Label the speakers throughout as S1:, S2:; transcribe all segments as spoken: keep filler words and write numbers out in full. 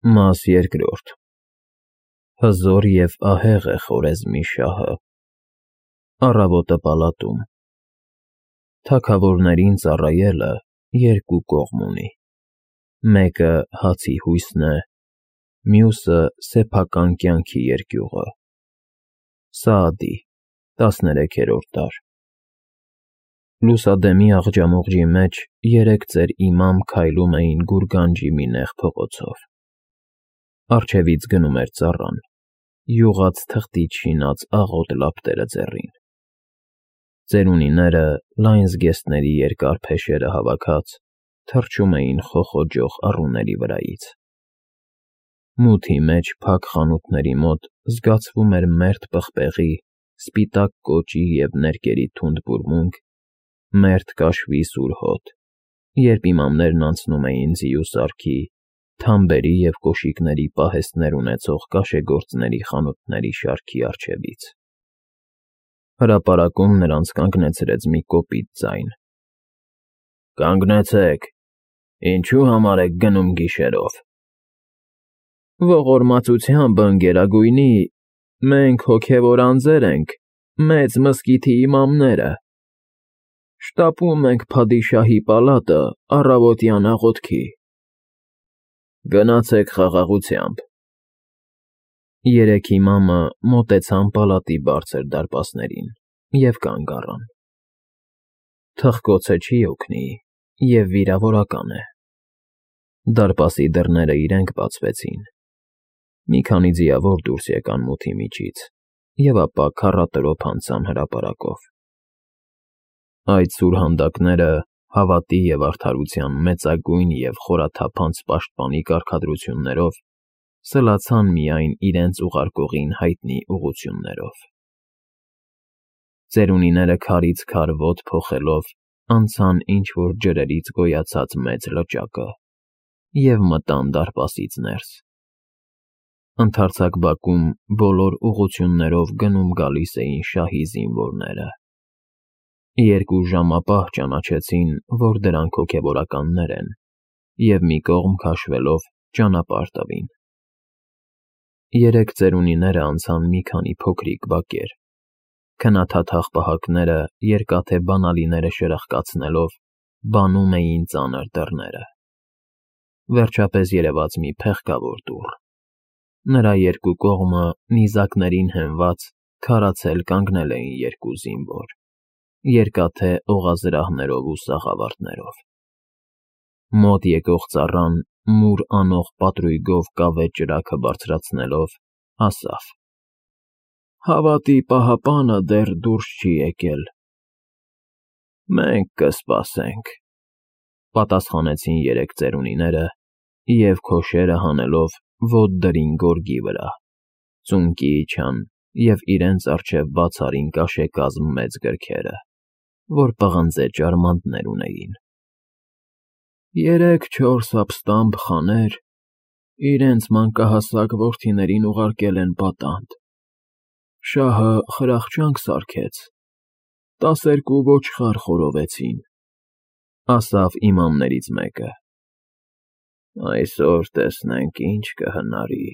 S1: Մաս երկրորդ Հզոր և ահեղ է Խորեզմի շահը, առավոտը պալատում, թագավորներին ծառայելը երկու կողմ ունի, մեկը հացի հույսն է, մյուսը սեփական կյանքի երկյուղը։ Սաադի, տասներեքերորդ դար Լուսադեմի աղջամուղջի մեջ երեք ծեր իմամ քայլում էին գուրգանջի մի նեղ փողոցով, առջևից գնում էր ծառան, յուղած թղթից շինած աղոտ լապտերը ձեռին, ծերունիները, լայն զգեստների երկար փեշերը հավաքած, թռչում էին խոխոջող առուների վրայից, մութի մեջ փակ խանութների մոտ զգացվում էր մերթ պղպեղի, սպիտակ կոճի և ներկերի թունդ բուրմունք, մերթ կաշվի սուր հոտ, երբ իմամներն անցնում էին ձիու սարքի, թամբերի և կոշիկների պահեստներ ունեցող կաշեգործների խանութների շարքի առջևից։ Հրապարակում նրանց կանգնեցրեց մի կոպիտ ձայն. «Կանգնեցեք, ինչու համար եք գնում գիշերով»։ «Ողորմածությամբ, ընկերագույնի, մենք հոգևոր անձեր ենք, մեծ մզկիթի իմամները, շտապում ենք փադիշահի պալատը առավոտյան աղոթքի»։ «Գնացեք խաղաղությամբ»։ Երեք իմամը մոտեցան պալատի բարձր դարպասներին և կանգ առան։ Թխկոցը չի օգնի և վիրավորական է։ Դարպասի դռները իրենք բացվեցին, մի քանի ձիավոր դուրս եկան մութի միջից և ապա քառատրոփ անցան հրապարակով։ Այդ սուրհանդակները հավատի և արդարության մեծագույն և խորաթափանց պաշտպանի կարգադրություններով սլացան միայն իրենց ուղարկողին հայտնի ուղղություններով։ Ծերունիները քարից քար ոտ փոխելով անցան ինչ-որ ջրերից գոյացած մեծ լճակը և մտան դարպասից ներս։ Ընդարձակ բակում բոլոր ուղղություններով գնում֊գալիս էին շահի զինվորները։ Երկու ժամապահ ճանաչեցին, որ դրանք հոգևորականներ են, և մի կողմ քաշվելով ճանապարհ տվին։ Երեք ծերունիները անցան մի քանի փոքրիկ բակեր, քնաթաթախ պահակները երկաթե բանալիները շրխկացնելով բանում էին ծանր դռները։ Վերջապես երևաց մի փեղկավոր դուռ։ Նրա երկու կողմը նիզակներին հենված քարացել կանգնել էին երկու զինվոր, երկաթե օղազրահներով ու սաղավարտներով։ Մոտ եկող ծառան մուր անող պատրույգով կավե ճրագը բարձրացնելով, ասավ. «Հավատի պահապանը դեռ դուրս չի եկել»։ «Մենք կսպասենք», պատասխանեցին երեք ծերունիները և, քոշերը հանելով, ոտ դրին գորգի վրա, ծունկի իջան և իրենց առջև բաց արին կաշեկազմ մեծ գրքերը, որ պղնձե ճարմանտներ ունեին։ «Երեք֊չորս ապստամբ խաներ իրենց մանկահասակ որդիներին ուղարկել են պատանդ, շահը խրախճանք սարքեց, տասներկու ոչխար խորովեցին», ասավ իմամներից մեկը։ «Այսօր տեսնենք ինչ կհնարի»,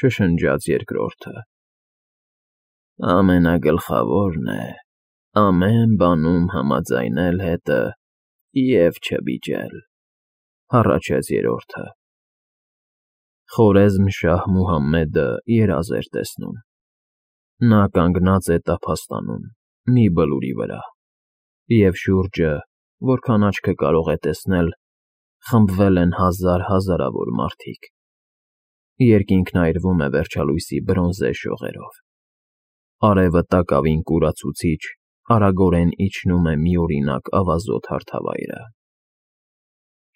S1: շշնջաց երկրորդը։ «Ամենագլխավորն է ամեն բանում համաձայնել հետը և չվիճել», հառաչեց երրորդը։ Խորեզմ֊շահ Մուհամմեդը երազ էր տեսնում։ Նա կանգնած է տափաստանում, մի բլուրի վրա, և շուրջը, որքան աչքը կարող է տեսնել, խմբվել են հազար֊հազարավոր մարդիկ։ Երկինքն այրվում է վերջալույսի բրոնզե շողերով։ Արևը տակավին կուրացուցիչ, արագորեն իջնում է միօրինակ ավազոտ հարթավայրը։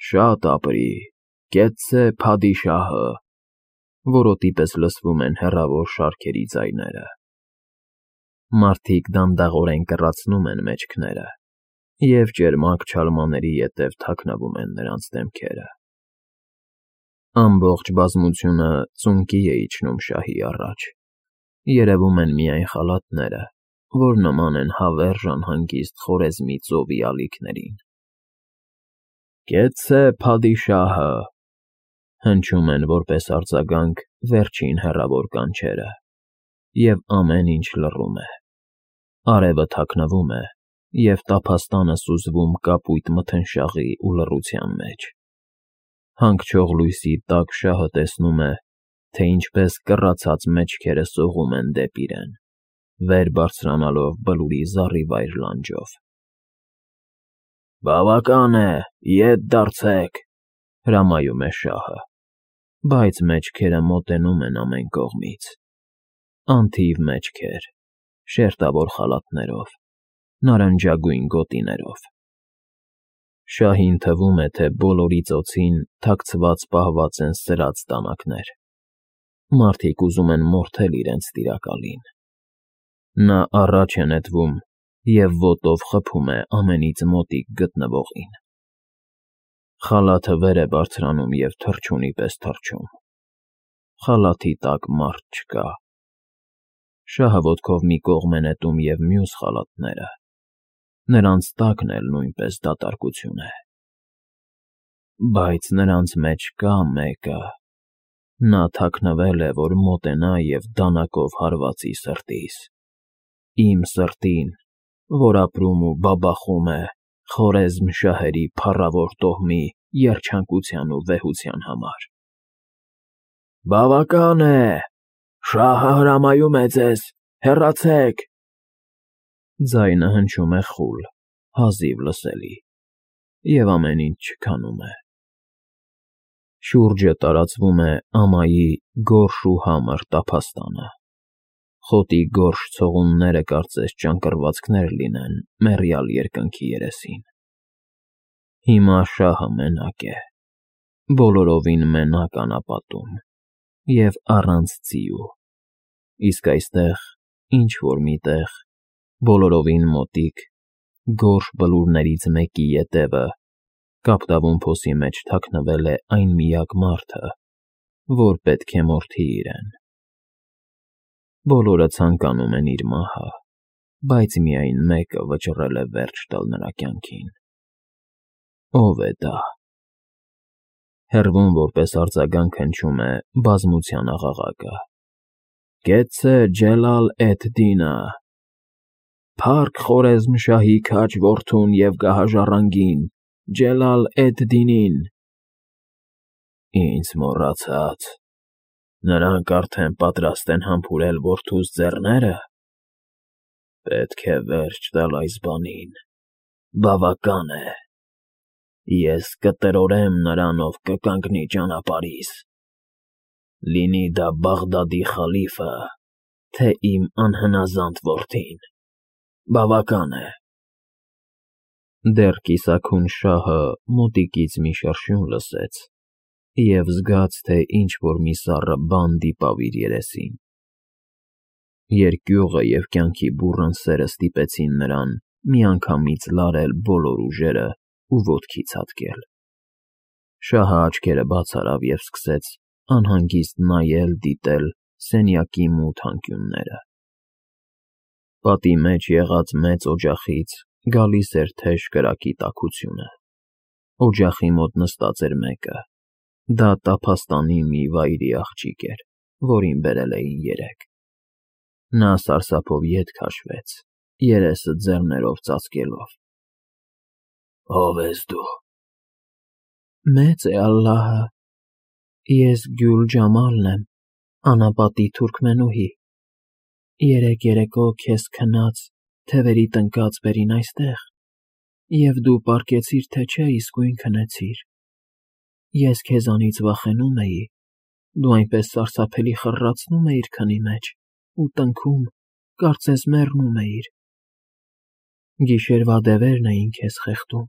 S1: «Շատ ապրի, կեցցե փադիշահը», որոտի պես լսվում են հեռավոր շարքերի ձայները։ Մարդիկ դանդաղորեն կռացնում են մեջքները, և ճերմակ չալմաների ետև թաքնվում են նրանց դեմքերը։ Ամբողջ բազմությունը ծունկի է իջնում շահի առաջ, երևում են միայն խալաթները, որ նման են հավերժ անհանգիստ Խորեզմի ծովի ալիքներին։ «Կեցցե փադիշահը», Հնչում են որպես արձագանք վերջին հեռավոր կանչերը, և ամեն ինչ լռում է, արևը թաքնվում է, և տափաստանը սուզվում կապույտ մթնշաղի ու լռության մեջ, հանգչող լույսի տակ շահը տեսնում է, թե ինչպես կռացած մեջքերը սողում են դեպի իրեն, վեր բարձրանալով բլուրի զառիվայր լանջով։ «Բավական է, ետ դարձեք», հրամայում է շահը, բայց մեջքերը մոտենում են ամեն կողմից, անթիվ մեջքեր, շերտավոր խալաթներով, նարնջագույն գոտիներով։ Շահին թվում է, թե բոլորի ծոցին թաքցված պահված են սրած դանակներ, մարդիկ ուզում են մորթել իրենց տիրակալին։ Նա առաջ է նետվում և ոտով խփում է ամենից մոտիկ գտնվողին։ Խալաթը վեր է բարձրանում և թռչունի պես թռչում։ Խալաթի տակ մարդ չկա։ Շահը ոտքով մի կողմ է նետում և մյուս խալաթները, նրանց տակն էլ նույնպես դատարկություն է։ Բայց նրանց մեջ կա մեկը, նա թաքնվել է, որ մոտենա և դանակով հարվածի սրտիս, իմ սրտին, որ ապրում ու բաբախում է Խորեզմ շահերի փառավոր տոհմի երջանկության ու վեհության համար։ «Բավական է, շահը հրամայում է ձեզ, հեռացեք»։ Ձայնը հնչում է խուլ, հազիվ լսելի, և ամեն ինչ չքանում է։ Շուրջը տարածվում է ամայի գորշ ու համր տափաստանը, խոտի գորշ ցողունները կարծես ճանկռվածքներ լինեն մեռյալ երկնքի երեսին։ Հիմա շահը մենակ է, բոլորովին մենակ անապատում և առանց ձիու, իսկ այստեղ, ինչ֊որ մի տեղ, բոլորովին մոտիկ, գորշ բլուրներից մեկի ետևը, կապտավուն փոսի մեջ թաքնվել է այն միակ մարդը, որ պետք է մորթի իրեն։ Բոլորը ցանկանում են իր մահը, բայց միայն մեկը վճռել է վերջ տալ նրա կյանքին։ Ո՞վ է դա։ Հեռվում որպես արձագանք հնչում է բազմության աղաղակը. «Կեցցե Ջելալ էդ Դինը, փառք Խորեզմ շահի քաջ որդուն և գահաժառանգին, Ջելալ էդ Դինին»։ Ինձ մոռացա՞ց, նրանք արդեն պատրաստ են համբուրել որդուս ձեռները։ Պետք է վերջ տալ այս բանին, բավական է։ Ես կտրորեմ նրան, ով կկանգնի ճանապարհիս, լինի դա Բաղդադի խալիֆը, թե իմ անհնազանդ որդին, բավական է։ Դեռ կիսաքուն շահը մոտիկից մի շրշյուն լսեց և զգաց, թե ինչ֊որ մի սառը բան դիպավ իր երեսին։ Երկյուղը և կյանքի բուռն սերը ստիպեցին նրան միանգամից լարել բոլոր ուժերը ու ոտքի ցատկել։ Շահը աչքերը բաց արավ և սկսեց անհանգիստ նայել֊դիտել սենյակի մութ անկյունները։ Պատի մեջ եղած մեծ օջախից գալիս էր թեժ կրակի տաքությունը։ Օջախի մոտ նստած էր մեկը, դա տափաստանի մի վայրի աղջիկ էր, որին բերել էին երեկ։ Նա սարսափով ետ քաշվեց, երեսը ձեռներով ծածկելով։ «Ո՞վ ես դու»։ «Մեծ է Ալլահը, ես Գյուլ Ջամալն եմ, անապատի թուրքմենուհի, երեկ երեկո քեզ քնած, թևերի տնկած բերին այստեղ, և դու պառկեցիր, թե չէ իսկույն քնեցիր։ Ես քեզանից վախենում էի, դու այնպես սարսափելի խռռացնում էիր քնի մեջ ու տնքում, կարծես մեռնում էիր։ Գիշերվա դևերն էին քեզ խեղդում,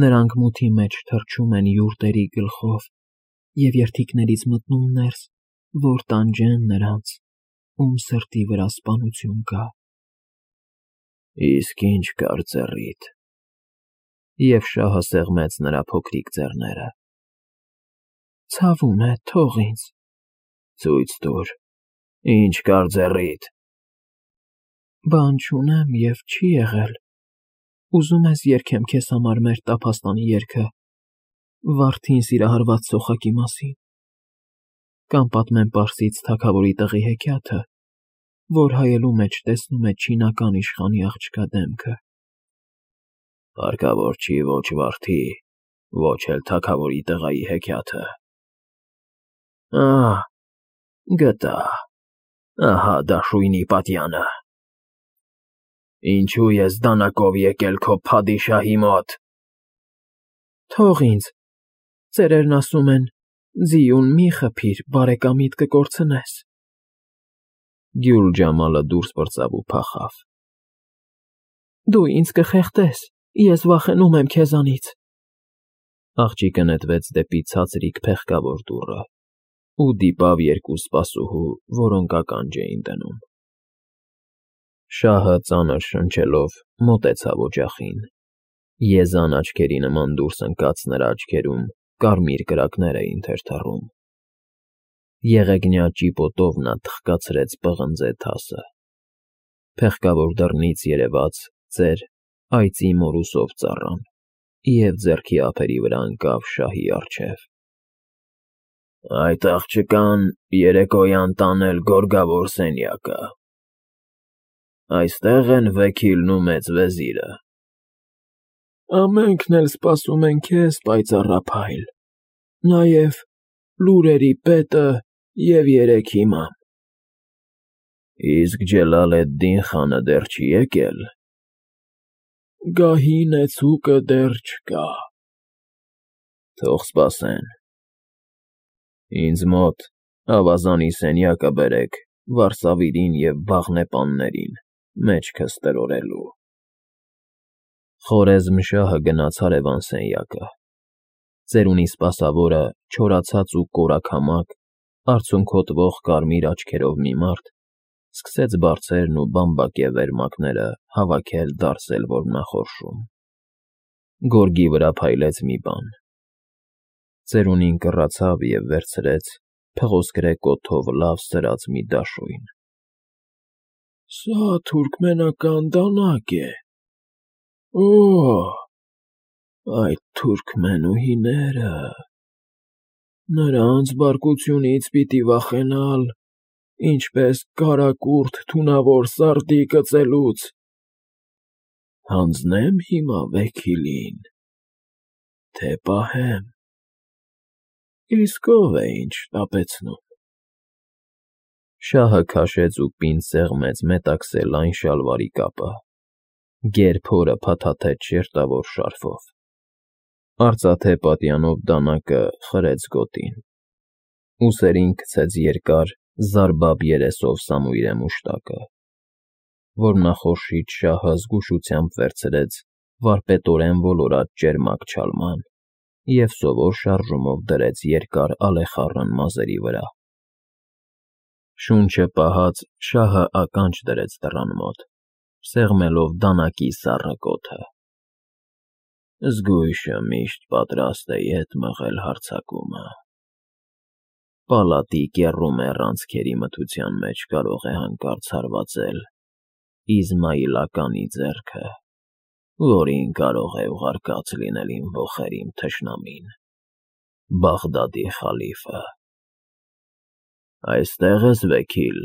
S1: նրանք մութի մեջ թռչում են յուրտերի գլխով և երդիքներից մտնում ներս, որ տանջեն նրանց, ում սրտի վրա սպանություն կա»։ «Իսկ ի՞նչ կար ձեռիդ»։ Եվ շահը սեղմեց նրա փոքրիկ ձեռները։ «Ցավում է, թող ինձ»։ «Ցույց տուր, ի՞նչ կար ձեռիդ»։ «Բան չունեմ և չի եղել։ Ուզում ես երգեմ քեզ համար մեր տափաստանի երգը։ Վարդին սիրահարված սոխակի մասին, կամ պատմեմ պարսից թագավորի տղի հեքիաթը, որ հայելու մեջ տեսնում է չինական իշխանի աղջկա դեմքը։ Հարկավոր չի ոչ վարդի, ոչ էլ թագավորի տղայի հեքիաթը։ Ահ, գտա, ահա դաշույնի պատյանը։ Ինչու ես դանակով եկել քո փադիշահի մոտ։ Թող ինձ, ծերերն ասում են, ձիուն մի խփիր, բարեկամիդ կկորցնես։ Գյուլ Ջամալը դուրս պրծավ ու փախավ։ Դու ինձ կխեղդես, ես վախենում եմ քեզանից։ Աղջիկը նետվեց դեպի ցածրիկ փեղկավոր դուռը ու դիպավ երկու սպասուհու, որոնք ականջ էին դնում։ Շահը ծանր շնչելով մոտեցավ օջախին։ Եզան աչքերի նման դուրս ընկած նրա աչքերում կարմիր կրակներ էին թրթռում։ Եղեգնյա ճիպոտով նա թխկացրեց պղնձե թասը։ Փեղկավոր դռնից երևաց ծեր այծի մորուսով ծառան և ձեռքի ափերի վրա ընկավ շահի առջև։ Այդ աղջկան երեկոյան տանել գորգավոր սենյակը։ Այստեղ են Վեքիլն ու մեծ վեզիրը։ Ամենքն էլ սպասում են քեզ, պայծառափայլ, նաև լուրերի պետը և երեք իմամ։ Իսկ Ջելալ֊էդ֊Դին խանը դեռ չի եկել։ Գահի նեցուկը դեռ չկա։ Թող սպասեն։ Ինձ մոտ ավազանի սենյակը բերեք վարսավիրին և բաղնեպաններին մեջքս տրորելու։ Խորեզմշահը գնաց հարևան սենյակը։ Ծերունի սպասավորը, չորացած ու կորաքամակ, արցունքոտվող կարմիր աչքերով մի մարդ, սկսեց բարձերն ու բամբակե վերմակները հավաքել֊դարսել որմնախորշում։ Գորգի վրա փայլեց մի բան։ Ծերունին կռացավ և վերցրեց փղոսկրե կոթով լավ սրած մի դաշույն։ Սա թուրքմենական դանակ է։ Օ՜, այդ թուրքմենուհիները… Նրանց բարկությունից պիտի վախենալ, ինչպես կարակուրթ թունավոր սարդի կծելուց։ Հանձնե՞մ հիմա Վեքիլին, թե պահեմ։ Իսկ ո՞վ է ինչ շտապեցնում։ Շահը քաշեց ու պինդ սեղմեց մետաքսե լայն շալվարի կապը, գեր փորը փաթաթեց շերտավոր շարֆով։ Արծաթե պատյանով դանակը խրեց գոտին։ Ուսերին գցեց երկար, զարբապ երեսով սամույրե մուշտակը։ Որմնախորշից շահը զգուշությամբ վերցրեց վարպետորեն ոլորած ճերմակ չալման և սովոր շարժումով դրեց երկար ալեխառն մազերի վրա։ Շունչը պահած շահը ականջ դրեց դռան մոտ, սեղմելով դանակի սառը կոթը։ Զգույշը միշտ պատրաստ է ետ մղել հարձակումը։ Պալատի կեռումեռ անցքերի մթության մեջ կարող է հանկարծ հարվածել Իզմայիլականի ձեռքը, որին կարող է ուղարկած լինել իմ ոխերիմ թշնամին, Բաղդադի խալիֆը։ Այստե՞ղ ես, Վեքիլ,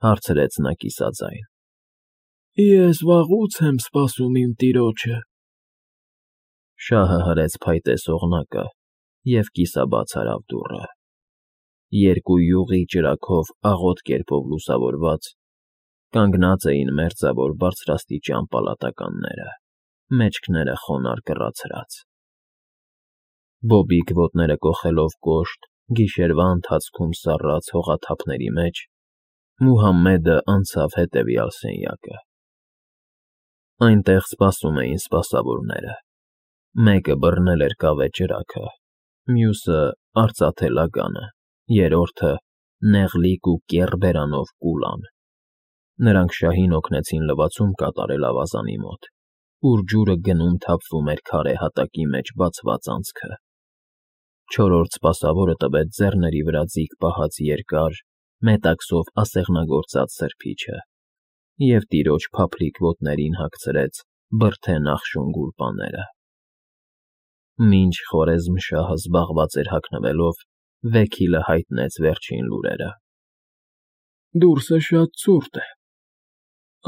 S1: հարցրեց նա կիսաձայն։ Ես վաղուց եմ սպասում իմ տիրոջը։ Շահը հրեց փայտե սողնակը և կիսաբաց արավ դուռը։ Երկու յուղի ճրագով աղոտ կերպով լուսավորված կանգնած էին մերձավոր բարձրաստիճան պալատականները, մեջքները խոնարհ կռացրած։ Բոբիկ ոտները կոխելով կոշտ, գիշերվա ընթացքում սառած հողաթափների մեջ, Մուհամմեդը անցավ հետևյալ սենյակը։ Այնտեղ սպասում էին սպասավորները։ Մեկը բռնել էր կավե ճրագը, մյուսը՝ արծաթե լագանը, երրորդը՝ նեղլիկ ու կեռ բերանով կուլան։ Նրանք շահին օգնեցին լվացում կատարել ավազանի մոտ, ուր ջուրը գնում թափվում էր քարե հատակի մեջ բացված անցքը։ Չորրորդ սպասավորը տվեց ձեռների վրա ձիգ պահած երկար, մետաքսով ասեղնագործած սրբիչը և տիրոջ փափլիկ ոտներին հագցրեց բրդե նախշուն գուլպաները։ Մինչ Խորեզմշահը զբաղված էր հագնվելով, Վեքիլը հայտնեց վերջին լուրերը։
S2: Դուրսը շատ ցուրտ է,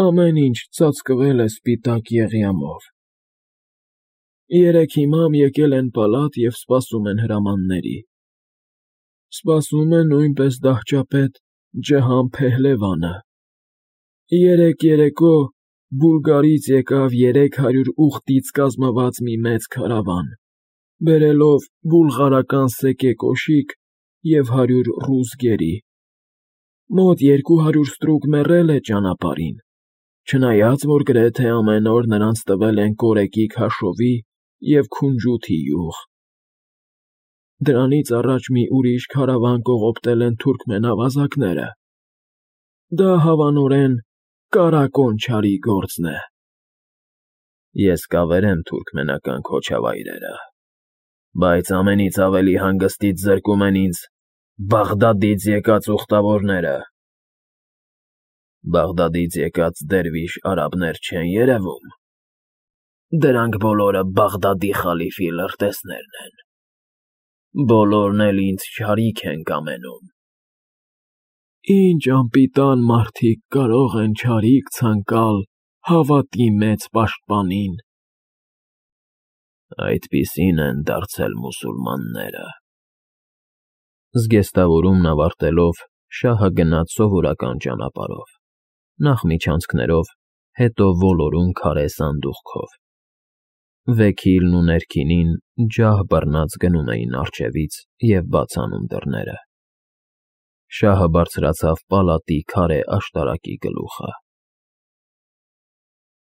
S2: ամեն ինչ ծածկվել է սպիտակ եղյամով։ Երեկ հիմամ եկել են պալատ և սպասում են հրամանների։ Սպասում է նույնպես դահճապետ Ջհան Փեհլևանը։ Երեկ երեկո Բուլգարից եկավ երեք հարյուր ուղտից կազմված մի մեծ քարավան, բերելով բուլղարական սեկե կոշիկ և հարյուր ռուս գերի։ Մոտ երկու հարյուր ստրուկ մեռել է ճանապարհին, չնայած որ գրեթե ամեն օր նրանց տվել են կորեկի քաշովի և քունջութի յուղ։ Դրանից առաջ մի ուրիշ քարավան կողոպտել են թուրքմեն ավազակները։ Դա հավանորեն Կարակոն չարի գործն է։
S1: Ես կավերեմ թուրքմենական քոչավայրերը, բայց ամենից ավելի հանգստից զրկում են ինձ Բաղդադից եկած ուխտավորները։ Բաղդադից եկած դերվիշ արաբներ չեն երևում։ Դրանք բոլորը Բաղդադի խալիֆի լրտեսներն են։ Բոլորն էլ ինձ չարիք են կամենում։
S2: Ինչ անպիտան մարդիկ կարող են չարիք ցանկալ հավատի մեծ պաշտպանին։
S1: Այդպիսին են դարձել մուսուլմանները։ Զգեստավորումն ավարտելով, շահը գնաց սովորական ճանապարհով, նախ միջանցքներով, հետո ոլորուն քարե սանդուղքով։ Վեքիլն ու ներքինին ջահ բռնած գնում էին առջևից և բաց անում դռները։ Շահը բարձրացավ պալատի քարե աշտարակի գլուխը։